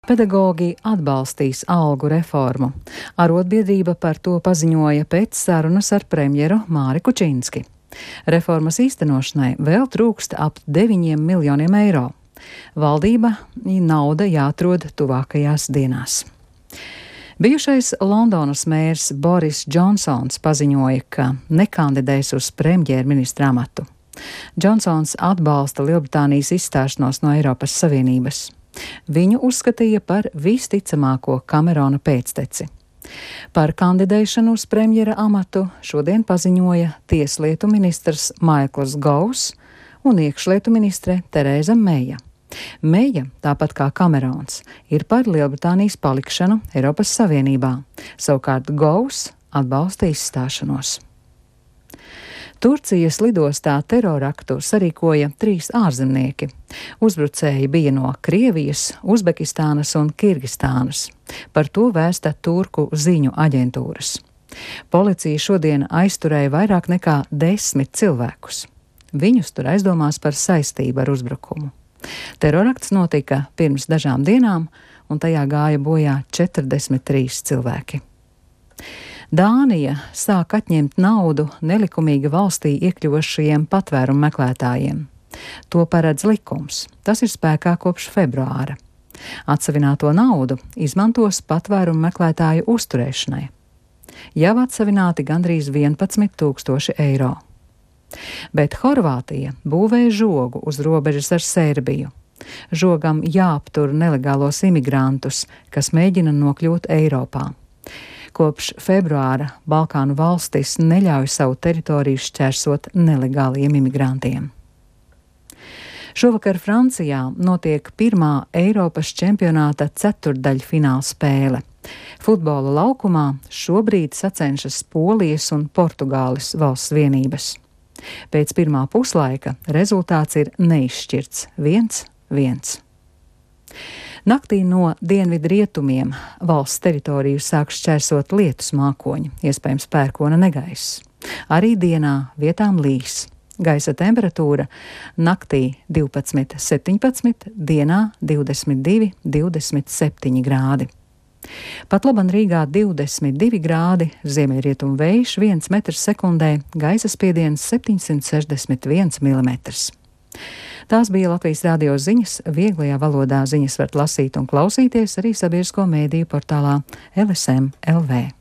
Pedagogi atbalstīs algu reformu. Arotbiedrība par to paziņoja pēc sarunas ar premjeru Māri Kučinski. Reformas īstenošanai vēl trūkst ap 9 miljoniem eiro. Valdība nauda jāatrod tuvākajās dienās. Bijušais Londonas mērs Boris Džonsons paziņoja, ka nekandidēs uz premjerministra amatu. Džonsons atbalsta Lielbritānijas izstāšanos no Eiropas Savienības. Viņu uzskatīja par visticamāko Kamerona pēcteci. Par kandidēšanu uz premjera amatu šodien paziņoja tieslietu ministrs Maikls Govs un iekšlietu ministre Tereza Meija. Meija, tāpat kā Kamerons, ir par Lielbritānijas palikšanu Eiropas Savienībā, savukārt Govs atbalsta izstāšanos. Turcijas lidostā teroraktu sarīkoja 3 ārzemnieki. Uzbrucēji bija no Krievijas, Uzbekistānas un Kirgistānas. Par to vēsta turku ziņu aģentūras. Policija šodien aizturēja vairāk nekā 10 cilvēkus. Viņus tur aizdomās par saistību ar uzbrukumu. Terorakts notika pirms dažām dienām, un tajā gāja bojā 43 cilvēki. Dānija sāk atņemt naudu nelikumīgi valstī iekļuvošajiem patvērumu meklētājiem. To paredz likums. Tas ir spēkā kopš februāra. Atsavināto naudu izmantos patvērumu meklētāju uzturēšanai. Jau atsavināti gandrīz 11 000 eiro. Bet Horvātija būvē žogu uz robežas ar Serbiju. Žogam jāaptur nelegālos imigrantus, kas mēģina nokļūt Eiropā. Kopš februāra Balkānu valstis neļauj savu teritoriju šķērsot nelegāliem imigrantiem. Šovakar Francijā notiek pirmā Eiropas čempionāta ceturtdaļfināla spēle. Futbola laukumā šobrīd sacenšas Polijas un Portugāles valsts vienības. Pēc pirmā puslaika rezultāts ir neizšķirts 1-1. Naktī no dienvidrietumiem valsts teritoriju sāk šķērsot lietus mākoņi, iespējams pērkona negaiss. Arī dienā vietām līs. Gaisa temperatūra naktī 12-17, dienā 22-27 grādi. Pat laban Rīgā 22 grādi, ziemeļrietumu vējš 1 metrs sekundē, gaisa spiediens 761 mm. Tās bija Latvijas radio ziņas. Vieglajā valodā ziņas var lasīt un klausīties arī sabiedrisko mēdīju portālā LSM LV.